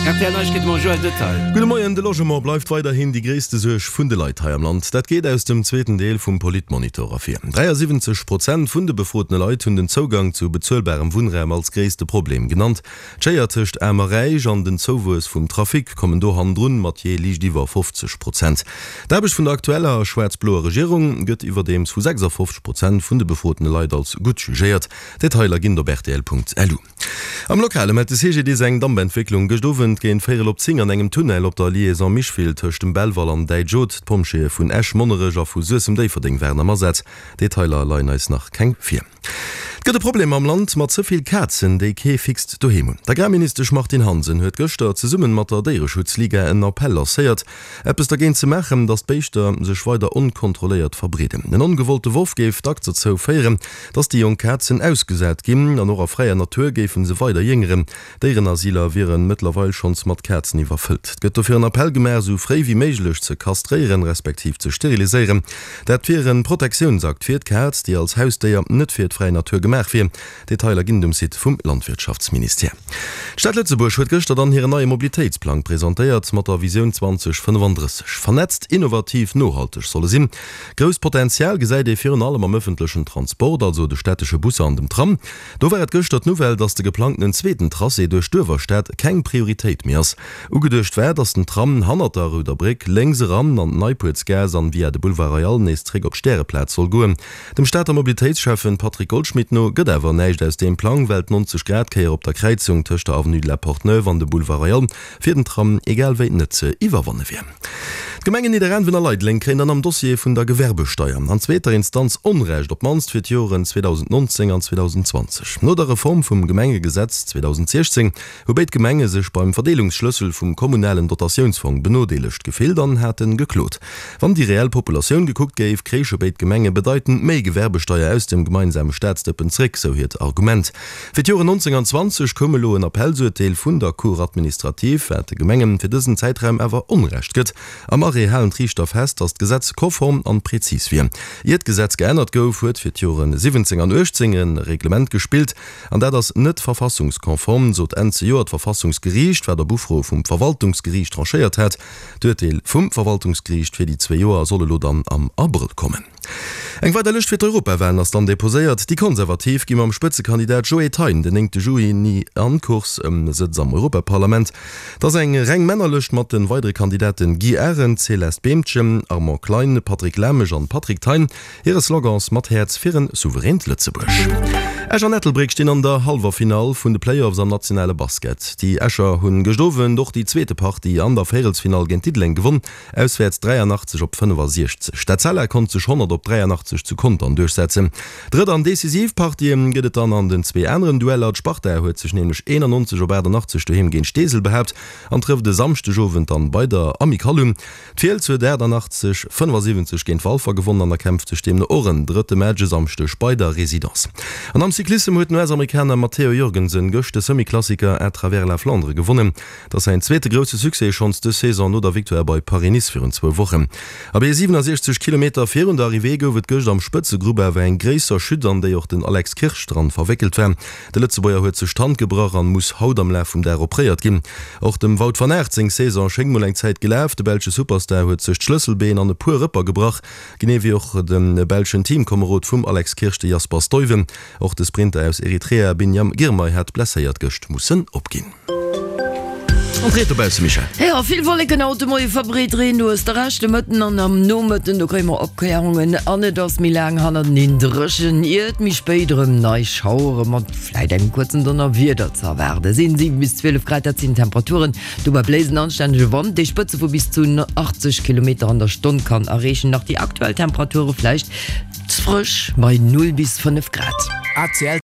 Rtl Neiegkeete mam Joël Detail. Gudde Moien, De Logement bleift weiderhin déi gréisste Suerg vun de Leit hei am Land. Dat geet aus dem zweeten Deel vum Politmonitor ervir. 73 Prozent vun de befrotene Leit hunn den Zougang zu bezuelbarem Wunnraum als gréisste Problem genannt. D'Schéier tëscht Aarm a Räich an den Zouwuess vum Trafic kommen do hannendrun, mat jee liicht iwwer 50 Prozent. D'Aarbecht vun der aktueller schwaarz-bloer Regierung gëtt iwwerdeems vu 56 Prozent vun de befrotene Leit als gutt jugéiert. Detailer ginn et op rtl.lu. Am Lokale mellt de CGDIS eng Dampentwécklung gëscht Owend géint véierel op 10 an engem Tunnel op der Liaison Micheville tëscht dem Belval an Däitsch-Haute. D'Pompjeeë vun Esch, Monnerech a vu Suessem-Déifferdeng waren am Asaz. Detailer leien eis nach keng vir. Et gëtt e Problem am Land mat ze vill Kazen, déi kee fixt Doheem hunn. D'Agrarministesch Martine Hansen huet gëschter zesummen mat der Déiereschutzliga en Appell lancéiert, eppes dergéint ze maachen, datt d'Béischter sech weider onkontrolléiert verbreeden. En ongewollte Worf géif dacks dozou féieren, datt déi jonk Kazen ausgesat ginn an och a fräier Natur géife se weider jéngeren. Déierenasyler wiere mëttlerweil schonns mat Kazen iwwerfëllt. Et gëtt dofir en Appell gemaach, esou fréi wéi méiglech ze kastréieren, respektiv ze steriliséieren. Dat wier e Protektiounsakt fir d'Kaz, déi als Hausdéier net fir d'fräi Natur gemaach wier. Detailer ginn et um Site vum Landwirtschaftsministère. D'Stad Lëtzebuerg huet gëschter dann hiren neie Mobilitéitsplang presentéiert, mat der Visioun 2035. Vernetzt, innovativ, nohalteg soll e sinn. Grousst Potenzial gesäit ee virun allem am ëffentlechen Transport, also de stättesche Busser an dem Tram. Do war et gëschter d'Nouvelle, datt de geplangtenen zweeten Tracé duerch d'Uewerstad keng Prioritéit méi ass. Ugeduecht war, datt den Tram hannert der Rouder Bréck lénks eran an d'Neipuertsgaass an via de Boulevard Royal nees zréck op d'Stäreplaz soll goen. Dem Stater Mobilitéitsschäffen Patrick Goldschmidt no gëtt awer näischt aus deem Plang, well d'90 Grad Kéier op der Kräizung tëscht der Avenue de la Porte Neuve an dem Boulevard Royal fir den Tram egal wéi net ze iwwerwanne wier. D'Gemengen Nidderaanwen a Leideleng kréien dann am Dossier vun der Gewerbesteier an zweeter Instanz Onrecht, op d'mannst fir d'Joren 2019 an 2020. No der Reform vum Gemengegesetz 2016 hu béid Gemenge sech beim Verdeelungsschlëssel vum kommunalen Dotatiounsfong benodeelegt gefillt an hate geklot. Wann déi reell Populatioun gekuckt géif, kréiche béid Gemenge bedeitend méi Gewerbesteier aus dem gemeinsame Staatsdëppen zréck, sou hiert Argument. Fir d'Joren 19 an 20 koum elo en Appellsurteel vun der Cour administrative, wat de Gemengen fir dësen Zäitraum awer Onrecht gëtt. Am Arrêt halen d'Riichter fest, datt d'Gesetz konform an prezis wier. Ier d'Gesetz geännert gouf, huet fir d'Joren 17 an 18 e Reglement gespillt, An dat ass net verfassungskonform, sot Enn zejoert d'Verfassungsgeriicht, wat op Ufro vum Verwaltungsgeriicht tranchéiert hat. D'Urteel vum Verwaltungsgeriicht fir déi zwee Joer soll elo dann am Abrëll kommen. Eng weider Lëscht fir d'Europawalen ass dann deposéiert. Déi Konservativ gi mam Spëtzekandidat Joe Thein den 9 Juni an d'Course ëm e Sëtz am Europaparlament. Et ass eng reng Männerlëscht mat de weidere Kandidaten Guy Arendt, Céleste Beemtgen, Armand Klein, Patrick Lamesch an Patrick Thein. Hire Slogans Mat Häerz fir en souveränt Lëtzebuerg. Esch an Ettelbréck stinn an der Hallwerfinall vun de Playoffs am nationale Basket. Déi Escher hunn gëscht Owend och déi zweete Partie an der Véierelsfinall géint Diddeleng gewonn, auswäerts 83 op 65. D'Etzella konnt sech 100 op 83 zu Contern duerchsetzen. Drëtt an decisiv Partie gëtt et dann an den zwee aneren Dueller. D'Sparta huet sech nämlech 91 op 88 doheem géint Steesel behaapt an trëfft e Samschdegowend dann bei der Amicale un. D'Fiels huet 88, 75 géint Walfer gewonnen an erkämpft sech deemno och en drëtte Match e Samschdeg bei der Résidence. An am Cyclissem huet den US-Amerikaner Matteo Jorgensen gëscht de Semi-Klassiker À travers la Flandre gewonnen. Et ass säin zweete grousse Succès schonns dës Saison no der Victoire bei Paris-Nice virun zwou Wochen. Abee 67 Kilometer virun der Arrivée gouf et gëscht am Spëtzegrupp awer eng gréisser Chute an déi och den Alex Kirsch dran verwéckelt war. De Lëtzebuerger huet sech d'Hand gebrach an muss haut am Laf vum Dag opréiert ginn. Och dem Wout van Aert seng Saison schéngt mol eng Zäit gelaf. De belsche Superstar huet sech d'Schlësselbeen an e puer Rëpper gebrach, genee wéi och de belschen Teamkomerod vum Alex Kirsch, de Jasper Stuyven. Och de Sprinter aus Eritrea Biniam Girmay hat blesséiert gëscht mussen opginn. An d'Ried dobausse, Michèle? Jo, vill Wolleken haut de Moie verbreet, Reen, du hues de Recht, de Mëtten an am Nomëtten, do kréie mer Opkläerungen an et ass méi laang hannerteneen dréchen, ier et méi spéit erëm nei Schauere mat vläit engem kuerzen Donnerwieder ze erwaarde sinn. 7 bis 12 Grad, dat sinn d'Temperaturen. Dobäi bléist en anstännege Wand, dee Spëtze vu bis zu 80 Kilometer an der Stonn kann erreechen. Nach déi aktuell Temperature vläicht ze frësch bei 0 bis 5 Grad. ACL.